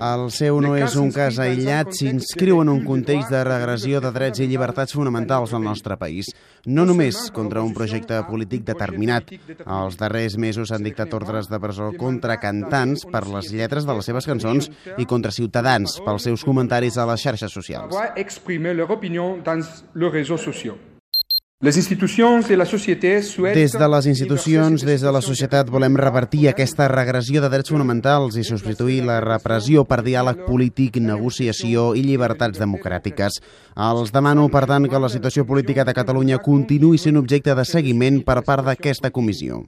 El seu no és un cas aïllat, s'inscriu en un context de regressió de drets i llibertats fonamentals al nostre país. No només contra un projecte polític determinat. Els darrers mesos s'han dictat ordres de presó contra cantants per les lletres de les seves cançons i contra ciutadans pels seus comentaris a les xarxes socials. Des de les institucions, des de la societat, volem revertir aquesta regressió de drets fonamentals i substituir la repressió per diàleg polític, negociació i llibertats democràtiques. Els demano, per tant, que la situació política de Catalunya continuï sent objecte de seguiment per part d'aquesta comissió.